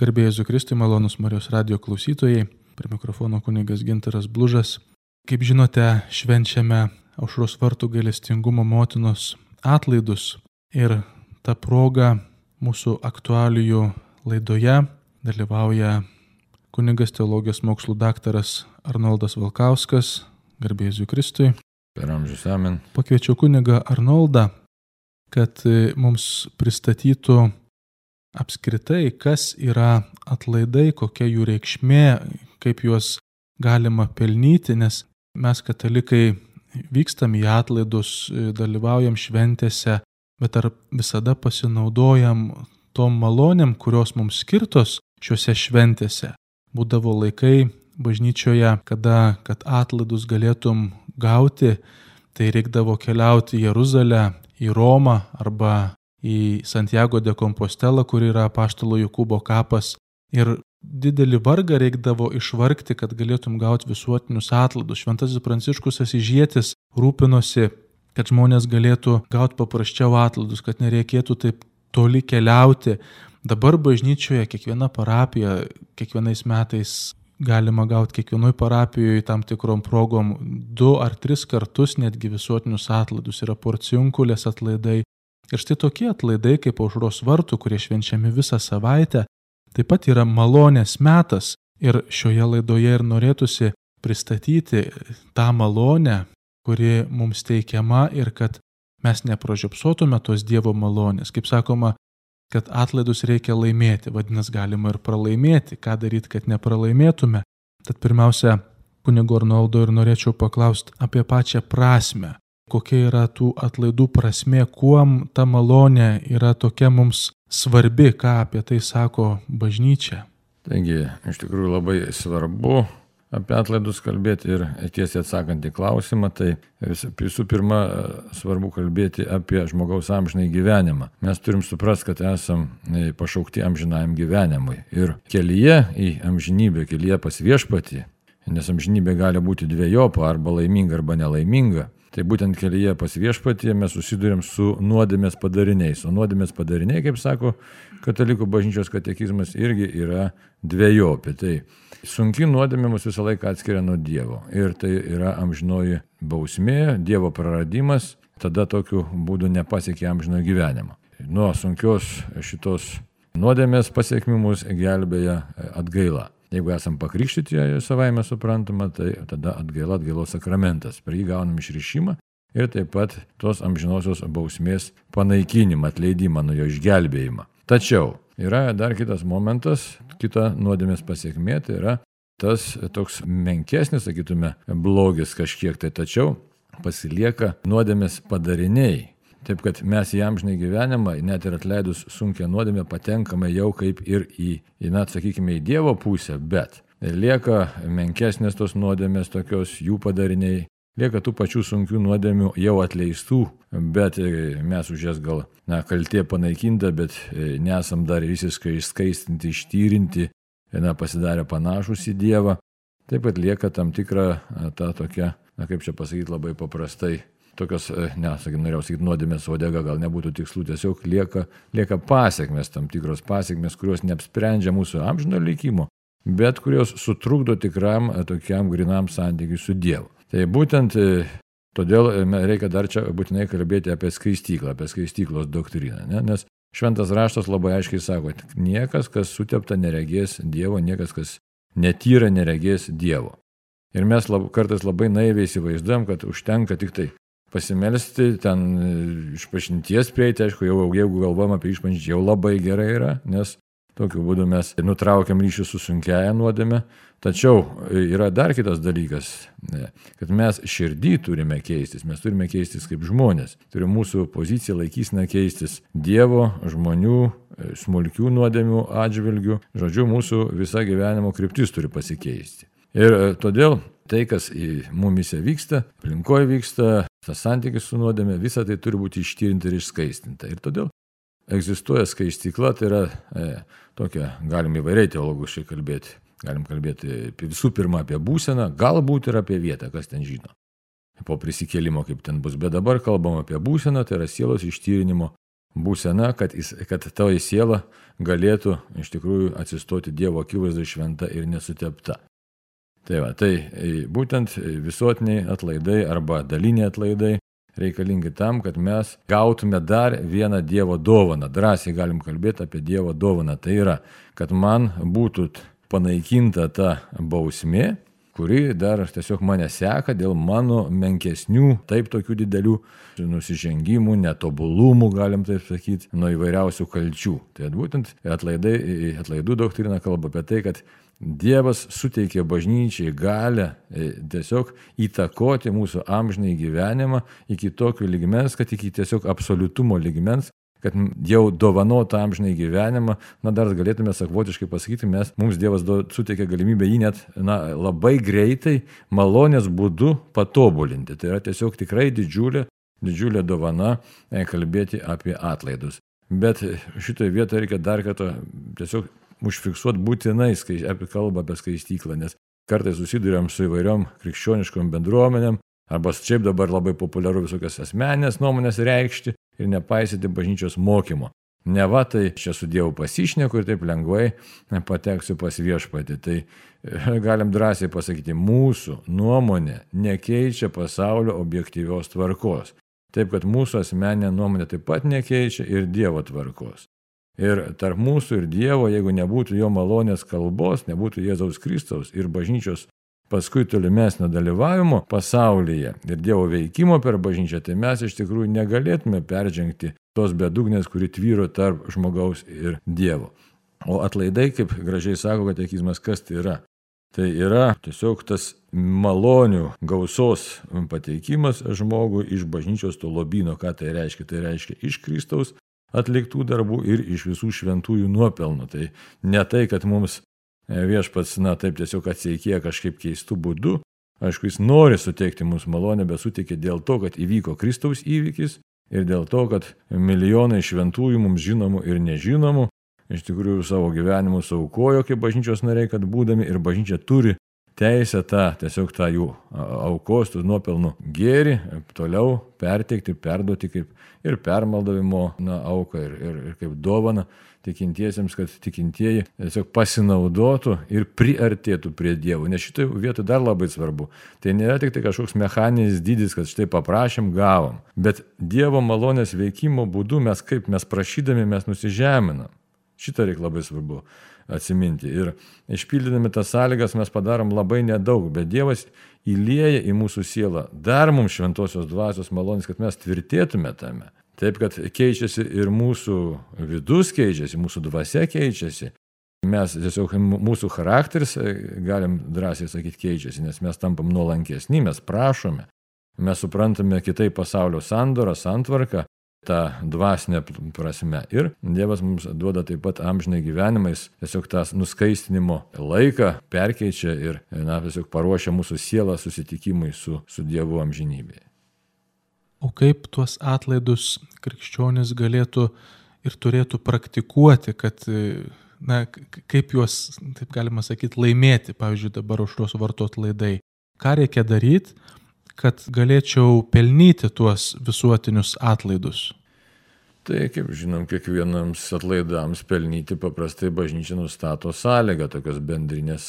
Garbė Jėzui Kristui, malonūs Marijos radijo klausytojai, prie mikrofono kunigas Gintaras Blužas. Kaip žinote, švenčiame Aušros vartų gailestingumo motinos atlaidus ir ta proga mūsų aktualijų laidoje dalyvauja kunigas teologijos mokslų daktaras Arnoldas Valkauskas. Garbė Jėzui Kristui. Per amžius amen. Pakviečiau kunigą Arnoldą, kad mums pristatytų apskritai, kas yra atlaidai, kokia jų reikšmė, kaip juos galima pelnyti, nes mes katalikai vykstam į atlaidus, dalyvaujam šventėse, bet ar visada pasinaudojam tom malonėm, kurios mums skirtos šiuose šventėse. Būdavo laikai bažnyčioje, kad atlaidus galėtum gauti, tai reikdavo keliauti į Jeruzalę, į Romą arba į Santiago de Compostelą, kur yra apaštalo Jokūbo kapas. Ir didelį vargą reikdavo išvargti, kad galėtum gauti visuotinius atlaidus. Šventasis Pranciškus Asyžietis rūpinosi, kad žmonės galėtų gauti paprasčiau atlaidus, kad nereikėtų taip toli keliauti. Dabar bažnyčioje kiekviena parapija, kiekvienais metais galima gauti kiekvienoj parapijoje tam tikrom progom 2 ar 3 kartus netgi visuotinius atlaidus. Yra porciunkulės atlaidai. Ir štai tokie atlaidai kaip Aušros vartų, kurie švenčiami visą savaitę, taip pat yra malonės metas. Ir šioje laidoje ir norėtųsi pristatyti tą malonę, kuri mums teikiama ir kad mes nepražiopsotume tos Dievo malonės. Kaip sakoma, kad atlaidus reikia laimėti, vadinasi galima ir pralaimėti. Ką daryti, kad nepralaimėtume? Tad pirmiausia, kunigo Arnoldo ir norėčiau paklausti apie pačią prasmę. Kokia yra tų atlaidų prasmė, kuom ta malonė yra tokia mums svarbi, ką apie tai sako bažnyčia. Taigi, iš tikrųjų labai svarbu apie atlaidus kalbėti ir tiesiai atsakant į klausimą, tai visų pirma svarbu kalbėti apie žmogaus amžinai gyvenimą. Mes turim suprasti, kad esam pašaukti amžinajam gyvenimui ir kelyje į amžinybę, kelyje pas viešpatį, nes amžinybė gali būti dvejopa, arba laiminga, arba nelaiminga. Tai būtent kelyje pas viešpatį mes susidurėm su nuodėmės padariniais. O nuodėmės padariniai, kaip sako katalikų bažnyčios katekizmas, irgi yra dvejopi. Tai sunki nuodėmė mus visą laiką atskiria nuo Dievo. Ir tai yra amžinoji bausmė, Dievo praradimas, tada tokiu būdu nepasiekia amžinojo gyvenimo. Nuo sunkios šitos nuodėmės pasiekmių mus gelbėja atgaila. Jeigu esam pakrikštyti savaime suprantama, tai tada atgaila, atgailos sakramentas. Per jį gaunam išrišimą ir taip pat tos amžinosios bausmės panaikinimą, atleidimą nuo jo išgelbėjimą. Tačiau yra dar kitas momentas, kita nuodėmės pasiekmė, tai yra tas toks menkesnis, sakytume, blogis kažkiek tai, tačiau pasilieka nuodėmės padariniai. Taip, kad mes į amžinai gyvenimą, net ir atleidus sunkią nuodėmę, patenkame jau kaip ir į sakykime, į Dievo pusę, bet lieka menkesnės tos nuodėmės, tokios jų padariniai, lieka tų pačių sunkių nuodėmių jau atleistų, bet mes už jas gal kaltė panaikinta, bet nesam dar visiškai išskaistinti, ištyrinti, pasidarę panašus į Dievą. Taip pat lieka tam tikra ta tokia, kaip čia pasakyti labai paprastai, tokios, norėjau sakyti, nuodėmės uodega, gal nebūtų tikslų, tiesiog lieka pasiekmes, tam tikros pasiekmes, kurios neapsprendžia mūsų amžino likimo, bet kurios sutrukdo tikram tokiam grinam santykiui su Dievu. Tai būtent todėl reikia dar čia būtinai kalbėti apie skaistyklą, apie skaistyklos doktriną, nes šventas raštas labai aiškiai sako, niekas, kas sutepta, neregės Dievo, niekas, kas netyra, neregės Dievo. Ir mes kartais labai naiviai įsivaizduojam, kad užtenka tik tai pasimelsti, ten išpažinties prieiti, aišku, jau jeigu galvom apie išpažinti, jau labai gerai yra, nes tokiu būdu mes nutraukiam ryšį su sunkiaja nuodėme. Tačiau yra dar kitas dalykas, kad mes širdį turime keistis, mes turime keistis kaip žmonės. Turi mūsų pozicija laikysena keistis Dievo, žmonių, smulkių nuodėmių atžvilgių. Žodžiu, mūsų visa gyvenimo kryptis turi pasikeisti. Ir todėl tai, kas mumise vyksta, aplinkoje vyksta, tas santykis su nuodėme, visa tai turi būti ištyrinta ir išskaistinta. Ir todėl egzistuoja skaistykla, tai yra tokia, galim įvairiai teologiškai kalbėti. Galim kalbėti visų pirma apie būseną, galbūt ir apie vietą, kas ten žino. Po prisikėlimo, kaip ten bus. Bet dabar kalbam apie būseną, tai yra sielos ištyrinimo būsena, kad toji siela galėtų iš tikrųjų atsistoti Dievo akivaizdai šventa ir nesutepta. Tai būtent visuotiniai atlaidai arba daliniai atlaidai reikalingi tam, kad mes gautume dar vieną Dievo dovaną. Drąsiai galim kalbėti apie Dievo dovaną. Tai yra, kad man būtų panaikinta ta bausmė, kuri dar tiesiog mane seka dėl mano menkesnių, taip tokių didelių nusižengimų, netobulumų, galim taip sakyti, nuo įvairiausių kalčių. Tai būtent atlaidų doktrina kalba apie tai, kad Dievas suteikė bažnyčiai galę tiesiog įtakoti mūsų amžinąjį gyvenimą iki tokio lygmens, kad iki tiesiog absoliutumo lygmens, kad jau dovanotą amžinąjį gyvenimą, dar galėtume savotiškai pasakyti, mums Dievas suteikė galimybę jį net labai greitai, malonės būdu patobulinti. Tai yra tiesiog tikrai didžiulė dovana kalbėti apie atlaidus. Bet šitoje vietoje reikia dar kartą tiesiog užfiksuoti būtinai kalbą apie skaistyklą, nes kartais susiduriam su įvairiom krikščioniškom bendruomenėm, arba šiaip dabar labai populiaru visokias asmeninės nuomonės reikšti ir nepaisyti bažnyčios mokymo. Neva tai čia su Dievu pasišneku ir taip lengvai pateksiu pas viešpatį. Tai galim drąsiai pasakyti, mūsų nuomonė nekeičia pasaulio objektyvios tvarkos. Taip, kad mūsų asmeninė nuomonė taip pat nekeičia ir Dievo tvarkos. Ir tarp mūsų ir Dievo, jeigu nebūtų jo malonės kalbos, nebūtų Jėzaus Kristaus ir bažnyčios paskui tolimesnio dalyvavimo pasaulyje ir Dievo veikimo per bažnyčią, tai mes iš tikrųjų negalėtume peržengti tos bedugnės, kuri tvyro tarp žmogaus ir Dievo. O atlaidai, kaip gražiai sako katekizmas, kas tai yra? Tai yra tiesiog tas malonių gausos pateikimas žmogui iš bažnyčios to lobyno. Ką tai reiškia? Tai reiškia iš Kristaus atliktų darbų ir iš visų šventųjų nuopelnų. Tai ne tai, kad mums viešpats, taip tiesiog atsiekėja kažkaip keistų būdų. Aišku, jis nori suteikti mums malonę, bet suteikė dėl to, kad įvyko Kristaus įvykis ir dėl to, kad milijonai šventųjų mums žinomų ir nežinomų iš tikrųjų savo gyvenimu aukojo kaip bažnyčios nariai, kad būdami ir bažnyčia turi teisę tiesiog tą jų aukos, tų nuopelnų gėrį toliau perteikti, perduoti kaip ir permaldavimo auką ir kaip dovaną tikintiesiems, kad tikintieji tiesiog pasinaudotų ir priartėtų prie Dievo. Nes šitoje vietoje dar labai svarbu. Tai nėra tik tai kažkoks mechaninis dydis, kad štai paprašėm, gavom. Bet Dievo malonės veikimo būdu mes prašydami mes nusižeminam. Šitą reikia labai svarbu atsiminti. Ir išpildydami tas sąlygas mes padarom labai nedaug, bet Dievas įlieja į mūsų sielą dar mums šventosios dvasios malonės, kad mes tvirtėtume tame. Taip, kad keičiasi ir mūsų vidus keičiasi, mūsų dvasia keičiasi. Mes tiesiog, mūsų charakteris, galim drąsiai sakyti, keičiasi, nes mes tampam nuolankesni, mes prašome. Mes suprantame kitaip pasaulio sandorą, santvarką, tą dvasinę prasme. Ir Dievas mums duoda taip pat amžinai gyvenimais, tiesiog tas nuskaistinimo laiką perkeičia ir tiesiog paruošia mūsų sielą susitikimui su Dievu amžinybėje. O kaip tuos atlaidus krikščionis galėtų ir turėtų praktikuoti, kad, kaip juos, taip galima sakyti, laimėti, pavyzdžiui, dabar aušros vartų atlaidai. Ką reikia daryti, kad galėčiau pelnyti tuos visuotinius atlaidus? Tai, kaip žinom, kiekvienams atlaidams pelnyti paprastai bažnyčia nustato sąlygą, tokios bendrinės,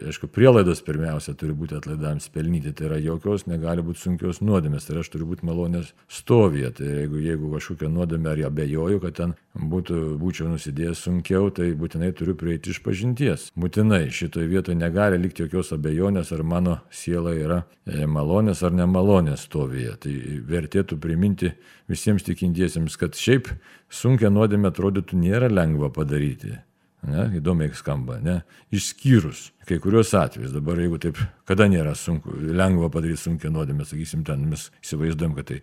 aišku, prielaidos pirmiausia turi būti atlaidams pelnyti, tai yra jokios negali būti sunkios nuodėmės, tai aš turiu būti malonės stovyje, tai jeigu kažkokia nuodėmė ar abejoju, kad ten būčiau nusidėjęs sunkiau, tai būtinai turiu prieiti iš pažinties. Būtinai šitoje vietoje negali likti jokios abejonės, ar mano siela yra malonės ar nemalonės stovyje. Tai vertėtų priminti visiems tikintiesiems, kad šiaip sunkia nuodėmė atrodytų nėra lengva padaryti. Įdomiai skamba, išskyrus kai kurios atvejus. Dabar jeigu taip, kada nėra lengva padaryti sunkia nuodėmė, sakysim, ten mes įsivaizduojam, kad tai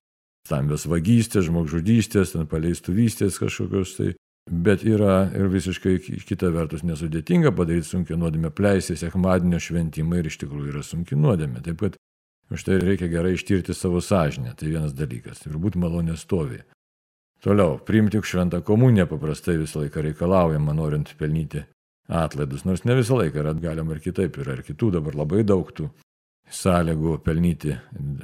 stambios vagystės, žmogžudystės, paleistuvystės kažkokios tai. Bet yra ir visiškai kita vertus nesudėtinga padaryti sunkia nuodėmė, pleisti sekmadienio šventimą ir iš tikrųjų yra sunki nuodėmė. Taip kad už tai reikia gerai ištirti savo sąžinę, tai vienas dalykas, ir būti malonės stovyje. Toliau, priimti šventą komuniją paprastai visą laiką reikalaujama, norint pelnyti atlaidus, nors ne visą laiką, galima ir kitaip, yra ir kitų dabar labai daug tų sąlygų pelnyti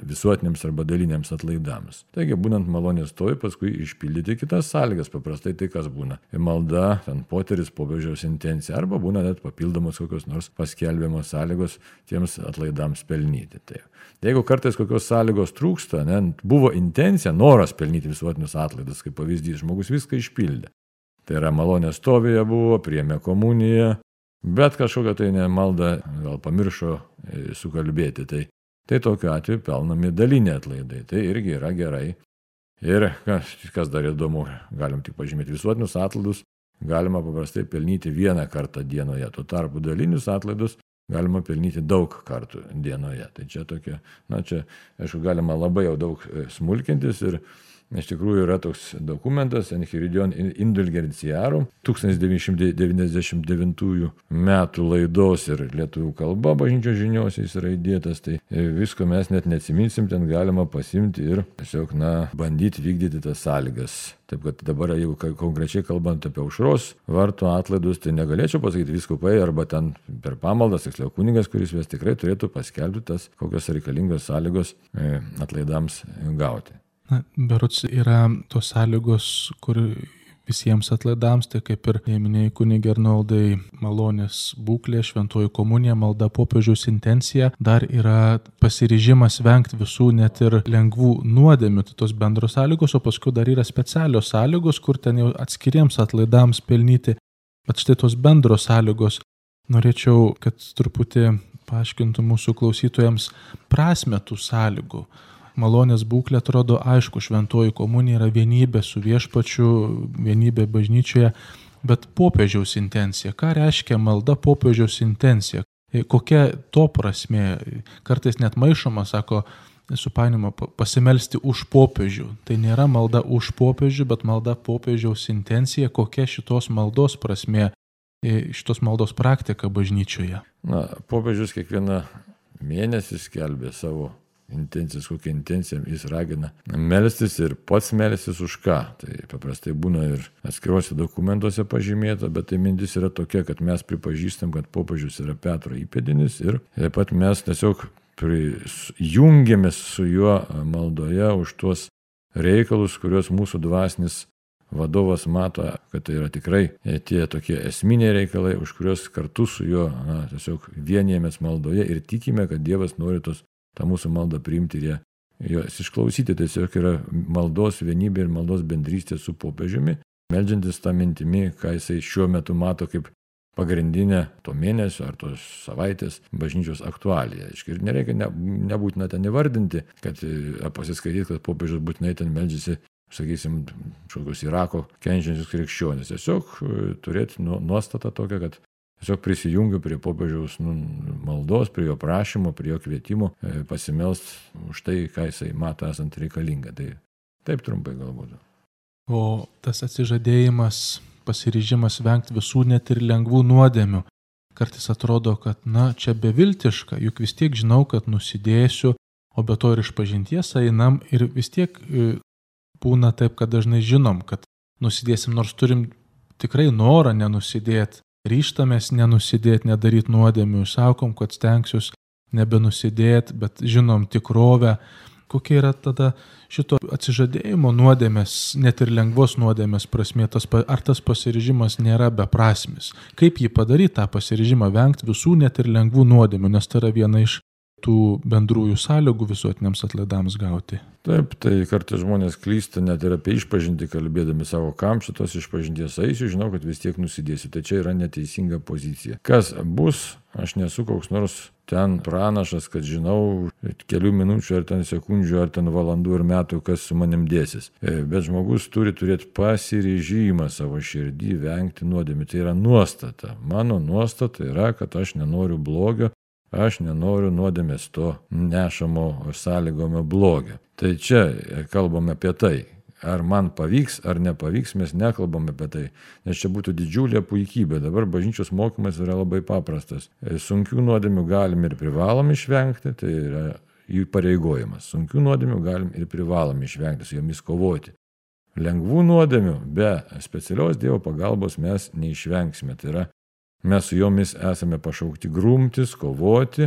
visuotiniams arba daliniams atlaidams. Taigi, būnant malonės stovi, paskui išpildyti kitas sąlygas, paprastai tai kas būna. Malda, ten poteris, popiežiaus intencija, arba būna net papildomos kokios nors paskelbiamos sąlygos tiems atlaidams pelnyti. Tai jeigu kartais kokios sąlygos trūksta, buvo intencija, noras pelnyti visuotinius atlaidus, kaip pavyzdys, žmogus viską išpildė. Tai yra malonės stovėje buvo, priėmė komuniją, bet kažkokią tai maldą gal pamiršo sukalbėti. Tai tokiu atveju pelnami daliniai atlaidai. Tai irgi yra gerai. Ir kas dar įdomu, galim tik pažymėti, visuotinius atlaidus galima paprastai pelnyti vieną kartą dienoje. Tuo tarpu dalinius atlaidus galima pelnyti daug kartų dienoje. Tai čia tokia, čia, aišku, galima labai jau daug smulkintis ir iš tikrųjų yra toks dokumentas Enchiridion Indulgenciarum 1999 metų laidos ir lietuvių kalba bažnyčios žiniose jis yra įdėtas, tai visko mes net neatsiminsim, ten galima pasimti ir tiesiog, bandyti vykdyti tas sąlygas. Taip kad dabar, jeigu konkrečiai kalbant apie aušros vartų atlaidus, tai negalėčiau pasakyti vyskupai arba ten per pamaldas, tiksliau kunigas, kuris vis tikrai turėtų paskelbti tas, kokios reikalingos sąlygos atlaidams gauti. Berods yra tos sąlygos, kur visiems atlaidams, tai kaip ir minėjai kunige Arnoldai, malonės būklė, šventoji komunija, malda, popiežiaus intencija, dar yra pasiryžimas vengti visų net ir lengvų nuodėmių, tai tos bendros sąlygos, o paskui dar yra specialios sąlygos, kur ten jau atskiriems atlaidams pelnyti. Bet štai tos bendros sąlygos, norėčiau, kad truputį paaiškintų mūsų klausytojams prasmę tų sąlygų. Malonės būklė atrodo aišku, šventoji komunija yra vienybė su viešpačiu, vienybė bažnyčioje, bet popiežiaus intencija. Ką reiškia malda popiežiaus intencija? Kokia to prasmė? Kartais net maišoma, sako, supainiama pasimelsti už popiežių. Tai nėra malda už popiežių, bet malda popiežiaus intencija. Kokia šitos maldos prasmė, šitos maldos praktika bažnyčioje? Popiežius kiekvieną mėnesį skelbė savo intencijas, kokią intenciją jis ragina melstis ir pats melstis už ką. Tai paprastai būna ir atskiruose dokumentuose pažymėta, bet tai mintis yra tokia, kad mes pripažįstam, kad popiežius yra Petro įpėdinis ir taip pat mes tiesiog jungiamės su juo maldoje už tuos reikalus, kuriuos mūsų dvasinis vadovas mato, kad tai yra tikrai tie tokie esminiai reikalai, už kuriuos kartu su juo tiesiog vienijamės maldoje ir tikime, kad Dievas nori tą mūsų maldą priimti ir jos išklausyti. Tiesiog yra maldos vienybė ir maldos bendrystė su popiežiumi, meldžiantis tą mintimi, ką jisai šiuo metu mato kaip pagrindinę to mėnesio ar tos savaitės bažnyčios aktualiją. Ir nereikia nebūtina ten įvardinti, kad pasiskaityti, kad popiežius būtinai ten meldžiasi, sakysim, kažkokios Irako kenčiančius krikščionis. Tiesiog turėti nuostatą tokią, kad tiesiog prisijungiu prie popiežiaus maldos, prie jo prašymo, prie jo kvietimo pasimelst už tai, ką jisai mato esant reikalinga. Tai taip trumpai galbūt. O tas atsižadėjimas, pasiryžimas vengti visų net ir lengvų nuodėmių. Kartais atrodo, kad čia beviltiška, juk vis tiek žinau, kad nusidėsiu, o be to ir išpažinties einam ir vis tiek būna taip, kad dažnai žinom, kad nusidėsim, nors turim tikrai norą nenusidėti. Ryžtamės nenusidėti, nedaryti nuodėmių, sakom, kad stengsiuos nebenusidėti, bet žinom tikrovę. Kokia yra tada šito atsižadėjimo nuodėmės, net ir lengvos nuodėmės prasmė, ar tas pasiryžimas nėra beprasmis? Kaip jį padaryti, tą pasiryžimą vengti visų net ir lengvų nuodėmių, nes tai yra viena iš tų bendrųjų sąlygų visuotiniams atlaidams gauti. Taip, tai kartais žmonės klysta net ir apie išpažintį kalbėdami savo, kam šitos išpažinties eisiu, žinau, kad vis tiek nusidėsiu. Tai čia yra neteisinga pozicija. Kas bus, aš nesu koks nors ten pranašas, kad žinau kelių minučių ar ten sekundžių ar ten valandų ir metų, kas su manim dėsis. Bet žmogus turi turėti pasiryžimą savo širdį vengti nuodėmių. Tai yra nuostata. Mano nuostata yra, kad aš nenoriu blogio. Aš nenoriu nuodėmės to nešamo sąlygomio blogio. Tai čia kalbame apie tai. Ar man pavyks, ar nepavyks, mes nekalbame apie tai. Nes čia būtų didžiulė puikybė. Dabar bažnyčios mokymas yra labai paprastas. Sunkių nuodėmių galim ir privalom išvengti, tai yra jų pareigojimas. Sunkių nuodėmių galim ir privalom išvengti, su jomis kovoti. Lengvų nuodėmių be specialios Dievo pagalbos mes neišvengsime. Tai yra, mes su jomis esame pašaukti grumtis, kovoti,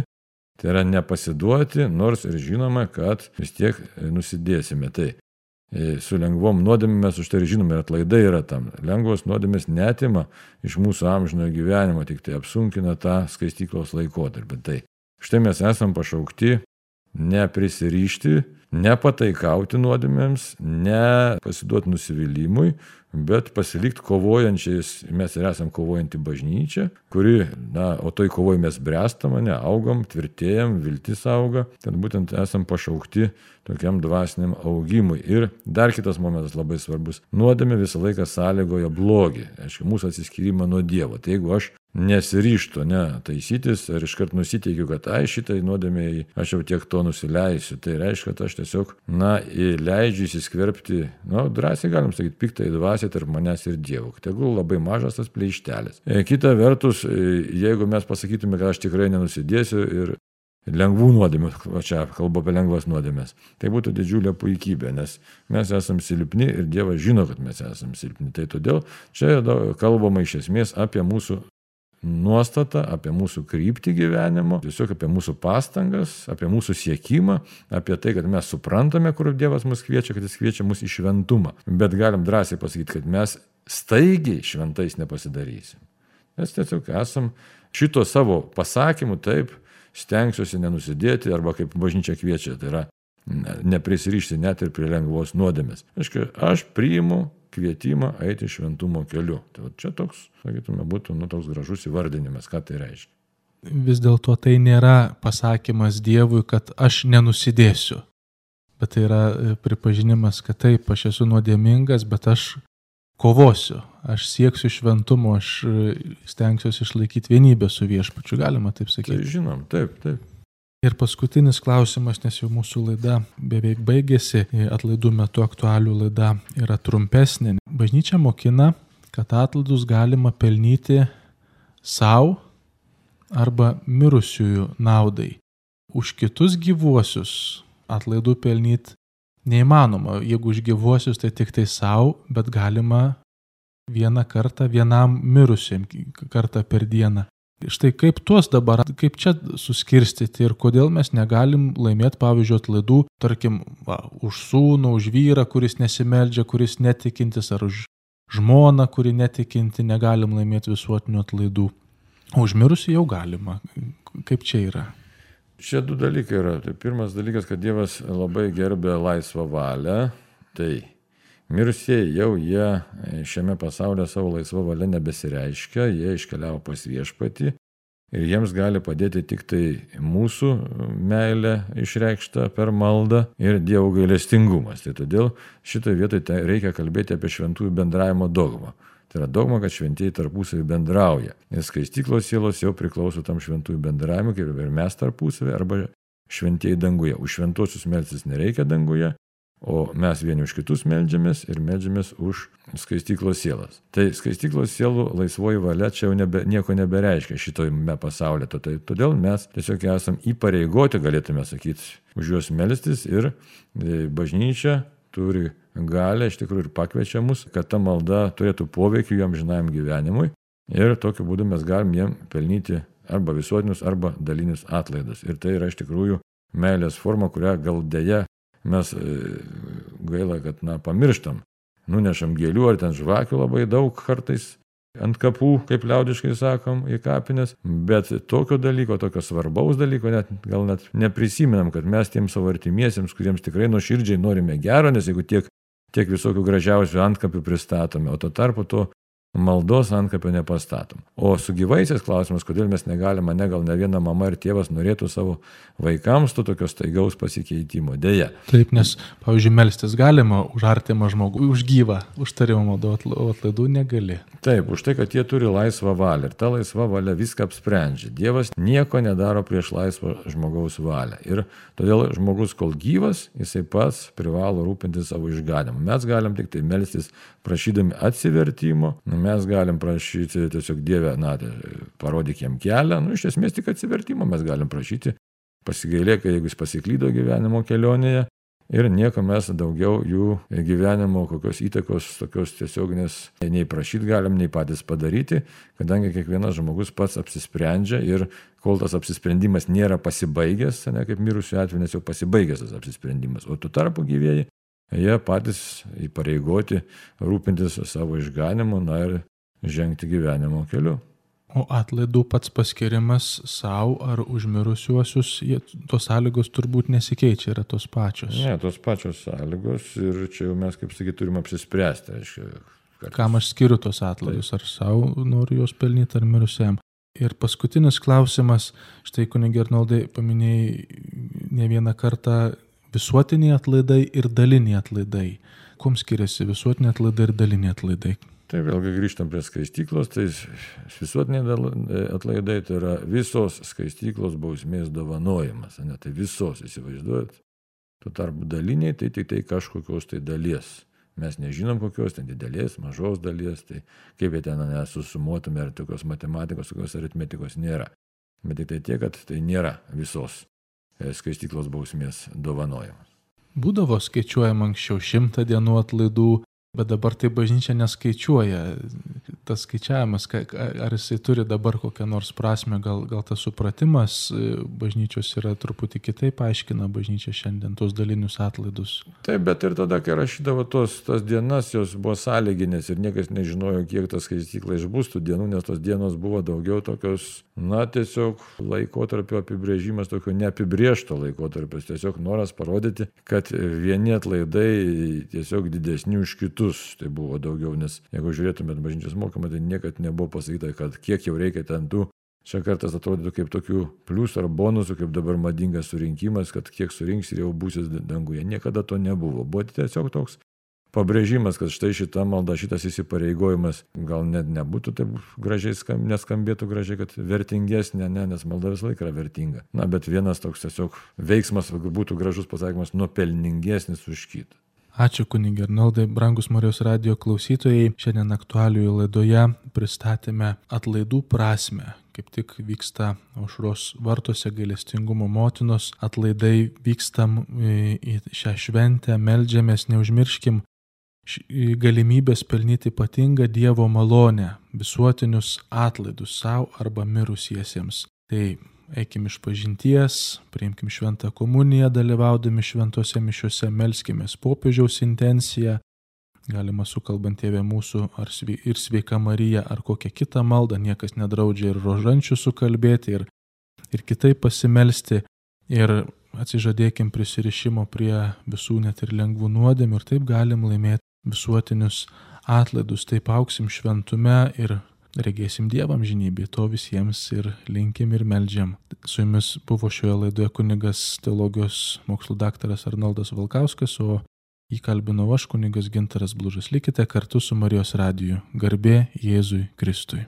Tai yra nepasiduoti, nors ir žinome, kad vis tiek nusidėsime. Tai su lengvom nuodėmėm mes už tai ir žinome, ir atlaidai yra tam. Lengvos nuodėmės neatima iš mūsų amžinojo gyvenimo, tik tai apsunkina tą skaistyklos laikotarpį. Tai štai mes esam pašaukti neprisirišti, nepataikauti nuodėmėms, nepasiduoti nusivylimui, bet pasilikti kovojančiais. Mes ir esam kovojanti bažnyčia, kuri, o toj kovoj mes bręstam, augam, tvirtėjam, viltis auga, tad būtent esam pašaukti tokiam dvasiniam augimui. Ir dar kitas momentas labai svarbus. Nuodėmė visą laiką sąlygoja blogį, aišku, mūsų atsiskyrimą nuo Dievo. Tai jeigu aš nesiryžtu taisytis ir iškart nusiteikiu, kad šitai nuodėmėjai aš jau tiek to nusileisiu, tai reiškia, kad aš tiesiog leidžiu įsiskverbti, drąsiai galim sakyti, piktai dvasiai tarp manęs ir Dievo. Tegul labai mažas tas pleištelis. Kita vertus, jeigu mes pasakytume, kad aš tikrai nenusidėsiu ir lengvų nuodėmių, čia kalbu apie lengvas nuodėmės, tai būtų didžiulė puikybė, nes mes esam silpni ir Dievas žino, kad mes esam silpni. Tai todėl čia kalbama iš esmės apie mūsų nuostatą, apie mūsų kryptį gyvenimo, tiesiog apie mūsų pastangas, apie mūsų siekimą, apie tai, kad mes suprantame, kur Dievas mus kviečia, kad Jis kviečia mus į šventumą. Bet galim drąsiai pasakyti, kad mes staigiai šventais nepasidarysim. Mes tiesiog esam šito savo pasakymu, taip, stengsiuosi nenusidėti, arba kaip bažnyčia kviečia, tai yra neprisirišti net ir prie lengvos nuodėmės. Aš priimu kvietimą eiti šventumo keliu. Tai čia toks, sakytume, būtų toks gražus įvardinimas, ką tai reiškia. Vis dėlto tai nėra pasakymas Dievui, kad aš nenusidėsiu. Bet tai yra pripažinimas, kad taip, aš esu nuodėmingas, bet aš kovosiu. Aš sieksiu šventumo, aš stengsiuosi išlaikyti vienybę su Viešpačiu. Galima taip sakyti. Tai žinom, taip. Ir paskutinis klausimas, nes jau mūsų laida beveik baigėsi, atlaidų metu aktualių laida yra trumpesnė. Bažnyčia mokina, kad atlaidus galima pelnyti savo arba mirusiųjų naudai. Už kitus gyvuosius atlaidų pelnyti neįmanoma. Jeigu už gyvuosius, tai tik tai savo, bet galima vieną kartą vienam mirusiam kartą per dieną. Štai kaip kaip čia suskirstyti ir kodėl mes negalim laimėti, pavyzdžiui, atlaidų, tarkim, už sūnų, už vyrą, kuris nesimeldžia, kuris netikintis, ar už žmoną, kuri netikinti, negalim laimėti visuotinių atlaidų. Už mirusį jau galima. Kaip čia yra? Šie du dalykai yra. Tai pirmas dalykas, kad Dievas labai gerbė laisvą valią. Tai mirusieji jau jie šiame pasaulyje savo laisvą valią nebesireiškia, jie iškeliavo pas Viešpatį ir jiems gali padėti tik tai mūsų meilė išreikšta per maldą ir Dievo gailestingumas. Tai todėl šitoje vietoje reikia kalbėti apie šventųjų bendravimo dogmą. Tai yra dogma, kad šventieji tarpusavį bendrauja. Ir skaistyklos sielos jau priklauso tam šventųjų bendravimui, kaip ir mes tarpusavį, arba šventieji danguje. Už šventuosius melstis nereikia danguje, o mes vieni už kitus meldžiamės ir meldžiamės už skaistyklos sielas. Tai skaistyklos sielų laisvoji valia čia jau nieko nebereiškia šitojame pasaulyje. Todėl mes tiesiog esam įpareigoti, galėtume sakyti, už juos melstis ir bažnyčia turi galę, iš tikrųjų ir pakviečia mus, kad ta malda turėtų poveikį jų amžinajam gyvenimui ir tokiu būdu mes galim jiem pelnyti arba visuotinius, arba dalinius atlaidus. Ir tai yra iš tikrųjų meilės forma, kurią gal deja mes gaila, kad pamirštam. Nunešam gėlių ar ten žvakių labai daug kartais ant kapų, kaip liaudiškai sakom, į kapines, bet tokio dalyko, tokio svarbaus dalyko gal net neprisimenam, kad mes tiems savo artimiesiems, kuriems tikrai nuoširdžiai norime gero, nes jeigu tiek visokių gražiausių antkapių pristatome, o tuo tarpu to maldos antkapio nepastatom. O su gyvaisiais klausimas, kodėl mes negalime, gal ne viena mama ir tėvas norėtų savo vaikams to tokio staigaus pasikeitimo. Deja. Taip, nes, pavyzdžiui, melstis galima už artimą žmogų, už gyvą, už tarimą maldą, o atlaidų negali. Taip, už tai, kad jie turi laisvą valią ir ta laisva valia viską apsprendžia. Dievas nieko nedaro prieš laisvą žmogaus valią. Ir todėl žmogus, kol gyvas, jisai pats privalo rūpintis savo išganymu. Mes galim tik tai melstis prašydami atsivertimo, mes galim prašyti tiesiog Dieve, parodyk jam kelią, iš esmės tik atsivertimo mes galim prašyti, pasigailėk, jeigu jis pasiklydo gyvenimo kelionėje ir nieko mes daugiau jų gyvenimo kokios įtakos tokios tiesioginės nei prašyti galim, nei patys padaryti, kadangi kiekvienas žmogus pats apsisprendžia ir kol tas apsisprendimas nėra pasibaigęs, ne kaip mirusių atveju, nes jau pasibaigęs tas apsisprendimas, o tuo tarpu gyvieji, jie patys įpareigoti rūpintis savo išganimu, na ir žengti gyvenimo keliu. O atlaidų pats paskirimas savo ar užmirusiuosius, tos sąlygos turbūt nesikeičia, yra tos pačios. Ne, tos pačios sąlygos ir čia jau mes, kaip sakyti, turime apsispręsti. Kam aš skiriu tos atlaidus, ar savo noriu juos pelnyti, ar mirusiam. Ir paskutinis klausimas, štai kunige Arnoldai paminėjai ne vieną kartą visuotiniai atlaidai ir daliniai atlaidai. Kuom skiriasi visuotiniai atlaidai ir daliniai atlaidai? Tai vėlgi grįžtam prie skaistyklos, tai visuotiniai atlaidai tai yra visos skaistyklos bausmės dovanojimas, ne, tai visos, įsivaizduojat. Tuo tarpu daliniai tai tik tai kažkokios tai dalies. Mes nežinom kokios, ten didelės, mažos dalies, tai kaip jie ten nesusumuotume, ar tokios matematikos, tokios aritmetikos nėra. Bet tik tai tiek, kad tai nėra visos skaistyklos bausmės dovanojimas. Būdavo skaičiuojama anksčiau 100 dienų atlaidų, bet dabar tai bažnyčia neskaičiuoja. Tas skaičiavimas, ar jisai turi dabar kokią nors prasme, gal tas supratimas bažnyčios yra truputį kitaip aiškina bažnyčia šiandien tos dalinius atlaidus. Taip, bet ir tada, kai rašydavo tas dienas, jos buvo sąlyginės ir niekas nežinojo, kiek ta skaistykla išbus tų dienų, nes tos dienos buvo daugiau tokios, na, tiesiog laikotarpio apibrėžimas, tokio neapibrėžto laikotarpio, tiesiog noras parodyti, kad vieni atlaidai tiesiog didesni už kitus. Tai buvo daugiau, nes jeigu žiūrėtumėt bažnyčios mokymą, tai niekad nebuvo pasakyta, kad kiek jau reikia ten tų. Čia kartas atrodytų kaip tokių pliusų ar bonusų, kaip dabar madingas surinkimas, kad kiek surinks ir jau būsis danguje. Niekada to nebuvo. Buvo tiesiog toks pabrėžimas, kad štai šita malda, šitas įsipareigojimas gal net nebūtų taip gražiai, neskambėtų gražiai, kad vertingesnė, ne, nes malda visą laiką yra vertinga. Na, bet vienas toks tiesiog veiksmas, būtų gražus pasakymas, nuopelningesnis už kitą. Ačiū kunige Arnoldai, brangus Marijos radijo klausytojai. Šiandien aktualijų laidoje pristatėme atlaidų prasmę. Kaip tik vyksta Aušros vartuose gailestingumo motinos atlaidai, vykstam į šią šventę, meldžiamės, neužmirškim galimybės pelnyti ypatingą Dievo malonę, visuotinius atlaidus savo arba mirusiesiems. Tai eikim išpažinties, priimkim šventą komuniją, dalyvaudami šventose mišiuose, melskimės popiežiaus intenciją, galima sukalbant Tėvę mūsų ir Sveika Marija ar kokią kitą maldą, niekas nedraudžia ir rožančių sukalbėti ir kitaip pasimelsti ir atsižadėkim prisirišimo prie visų net ir lengvų nuodėmių ir taip galim laimėti visuotinius atlaidus, taip auksim šventume ir regėsim Dievą amžinybėje, to visiems ir linkim ir meldžiam. Su jumis buvo šioje laidoje kunigas teologijos mokslų daktaras Arnoldas Valkauskas, o jį kalbinau aš, kunigas Gintaras Blužas. Likite kartu su Marijos radiju. Garbė Jėzui Kristui.